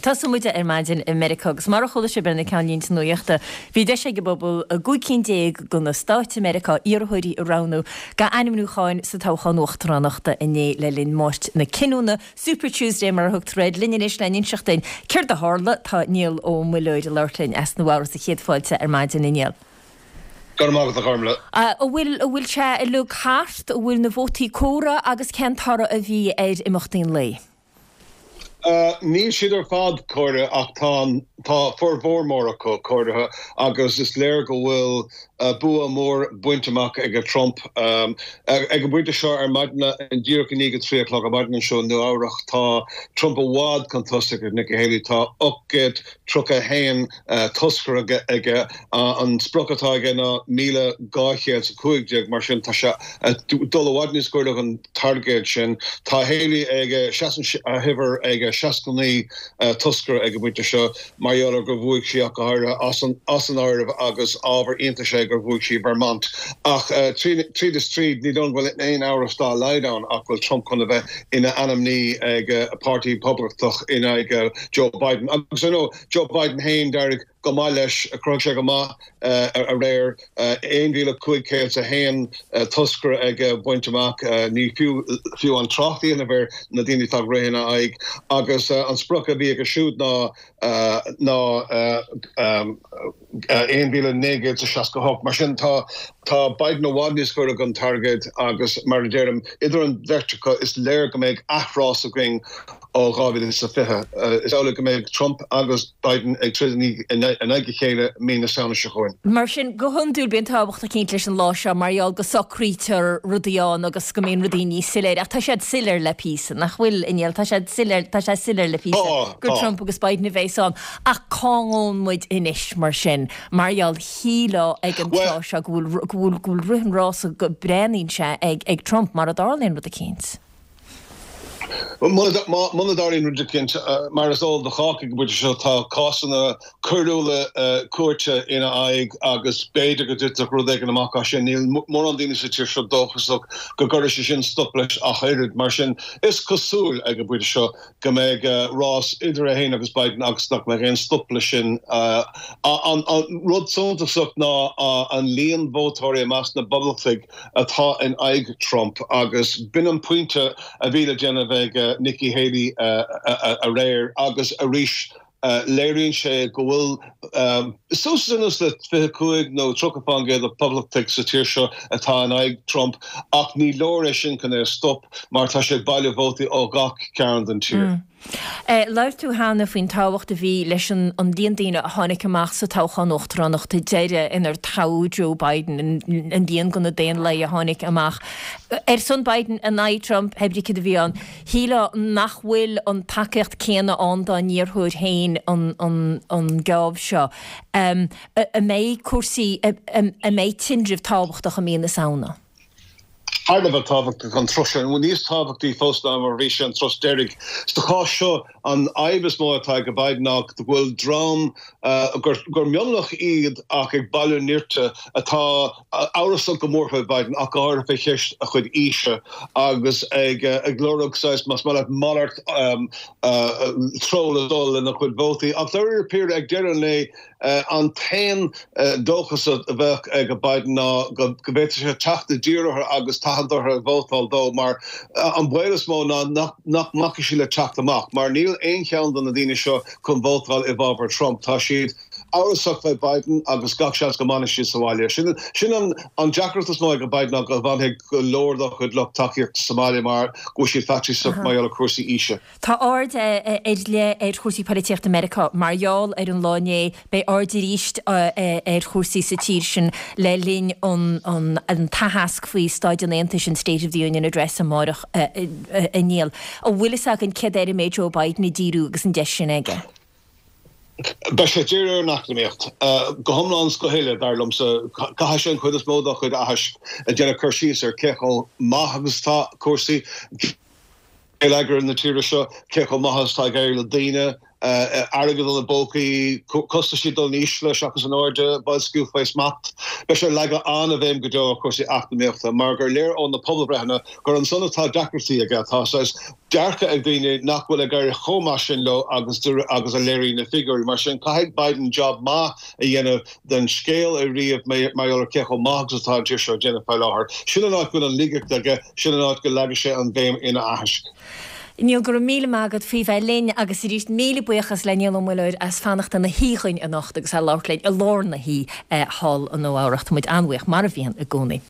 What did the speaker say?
Tosóidh muid ar maidin i Meiriceá agus mar a chuala sibh ar na ceannlínte nuachta, bhí deis ag an bpobal i gcúig cinn de na stáit i Meiriceá iarrthóirí a roghnú d'ainmniúcháin sa toghchán uachtaránachta inné le linn Máirt na Cinniúna, Super Tuesday mar a thugtar air. Linn anois le n-inseacht duinn céard a tharla, tá Niall Ó Muilleoir ag labhairt linn as Nua Eabhrac sa chéad fáilte ar maidin, a Niall. Go raibh maith agat, a Ghormlaith. An bhfuil, an bhfuil sé uilig thart, an bhfuil na vótaí comhairthe agus cén toradh a bhí ar imeachtaí an lae? Níl siad ar fad comhairthe ach tá, tá formhór mór acu comhairthe agus is léir go bhfuil bua mór bainte amach ag Trump. Ag an bpointe seo ar maidin, díreach i ndiaidh a 3 a chlog ar maidin anseo i Nua Eabhrac, tá Trump i bhfad chun tosaigh ar Nikki Haley. Tá 831 toscaire aige. An sprioc atá aige ná 1,215, mar sin tá sé ag dul i bhfad níos gaire don targaid sin. Tá Haley ag, seasann a huimhir ag 69 toscaire ag an bpointe seo, mar gheall ar gur bhuaigh sí ach go háirithe as an áireamh agus ábhar iontais é gur bhuaigh sí Vermont. Ach tríd is tríd, ní dóigh liom go bhfuil aon amhras dá laghad ann ach go bhfuil Trump chun a bheith ina ainmní ag Páirtí Poblachtach in aghaidh Joe Biden. Agus ar ndóigh, Joe Biden féin, d'éirigh go maith leis, chruthaigh sé go maith aréir, 1,501 toscaire aige bainte amach, ní fiú fiú an trácht a dhéanamh ar na daoine atá ag rith ina aghaidh, agus an sprioc a bhí aige siúd ná ná 1,968. Mar sin tá tá Biden i bhfad níos gaire don targaid agus mar a deirim, idir an bheirt acu is léir go mbeidh athrás againn ó 2020. Is amhlaidh go mbeidh Trump agus Biden ag troid in aghaidh a chéile mí na Samhna seo chugainn. Mar sin, go hiondúil bíonn tábhacht eicínt leis an lá seo mar gheall go socraítear rudaí ann agus go mbíonn rudaí níos soiléire. Ach tá siad soiléir le píosa, nach bhfuil, a Néill? Tá siad soiléir, tá sé soiléir le píosa gur Trump agus Biden a bheas ann. Ach cá ngabhann muid anois, mar sin? Mar gheall, shílfeá ag an tráth seo go bhfuil, go bhfuil, go bhfuil rith an rása, go breathnaíonn sé ag, ag Trump, mara dtarlaíonn rud eicínt. Muna dtarlaíonn rud eicínt, mar is eol do chách ag an bpointe seo, tá cásanna coiriúla cúirte ina aghaidh agus b'fhéidir go dtitfeadh rud éigin amach as sin. Níl mórán daoine sa tír seo dóchasach go gcuirfidh sé sin stop leis ach oiread. Mar sin, is cosúil ag an bpointe seo go mbeidh rás idir é féin agus Biden agus nach mbeidh aon stop leis sin. An rud suntasach ná an líon vótóirí i measc na bPoblachtaigh atá in aghaidh Trump agus b'in an pointe a bhí le déanamh ag Nikki Haley aréir agus arís léiríonn sé go bhfuil suas anuas le 25 nó 30% de Phoblachtaigh sa tír seo atá in aghaidh Trump ach ní leor é sin chun é a stop mar tá sé ag bailiú vótaí ó gach cearn den tír. Labhair tú cheana faoin tábhacht a bhí leis an líon daoine a tháinig amach sa toghchán uachtaránachta deiridh inar toghadh Joe Biden, an líon de na Daonlathaigh a tháinig amach ar son Biden in aghaidh Trump, pé brí céard a bhí ann. Shílfeá nach bhfuil an tacaíocht céanna ann dá n-iarrthóir féin an geábh seo. An mbeidh cúrsaí, an mbeidh tinreamh tábhachtach i mí na Samhna? Thar a bheith tábhachtach an turas seo, nó níos tábhachtaí fós ná mar a bhí sé an turas deiridh. Sa chás seo, an fhadhb is mó atá ag Biden ná go bhfuil dream gur mionlach iad ach ag bailiú nirt atá amhrasach go mór faoi Biden ach go háirithe fé cheist a chuid aoise agus ag lorg saghas, más maith leat, malairt treo le dul lena chuid vótaí. Ach dáiríre píre, ag deireadh an lae, An t-aon dóchas a bheadh ag Biden ná go bhféadfadh sé teacht i dtír orthu agus tathant orthu vótáil dó mar an baol is mó ná nach mbacfaidh siad le teacht amach mar níl aon cheann de na daoine seo chun vótáil i bhfabhar Trump. Tá siad amhrasach fé Biden agus gach seans go mbanfaidh siad sa bhaile. Sin an deacracht is mó ag Biden ná go bhfanfaidh go leor dá chuid lucht tacaíochta sa mbaile mar go bhfuil siad faitíosach mar gheall ar chúrsaí aoise. Tá aird ar leith ar chúrsaí poilitíochta Meiriceá mar gheall ar an lá inné. Beidh aird arís ar chúrsaí sa tír sin le linn an t-aitheasc faoi Staid an Aontais, an State of the Union Address, amárach, a Néill. An bhfuil fhios againn céard air a mbeidh Joe Biden ag díriú agus an deis sin aige? Beidh sé ag díriú ar an eacnamaíocht go hiomlán is go huile, dar liomsa. Caithfidh sé an chuid is mó dá chuid aithisc ag déanamh cur síos ar cé chomh maith agus atá cúrsaí. geilleagar na tíre seo, cé chomh maith is atá ag éirí le daoine. Airgead ina bpócaí, costaisí ag dul in ísle seachas in airde, boilsciú faoi smacht. Beidh sé ag leagadh an-bhéim go deo ar chúrsaí eacnamaíochta mar gur léir ó na pobalbhreitheanna gur ansan atá deacrachtaí aige. Tá saghas dearcadh ag daoine nach bhfuil ag éirí chomh maith sin leo agus agus a léiríonn na figiúirí. Mar sin caithfidh Biden job maith a dhéanamh den scéal a ríomh mar gheall ar cé chomh maith agus atá an tír seo ag déanamh faoi láthair. Sin an áit go bhfuil an laigeacht aige, sin an áit go leagfaidh sé an bhéim ina aitheasc. Niall, go raibh míle maith agat faoi bheith linn agus arís míle buíochas le Niall Ó Muilleoir as fanacht ina shuí chugainn anocht agus a labhairt linn i lár na hoíche thall i Nua Eabhrac. Tá muid an-bhuíoch, mar a bhíonn i gcónaí.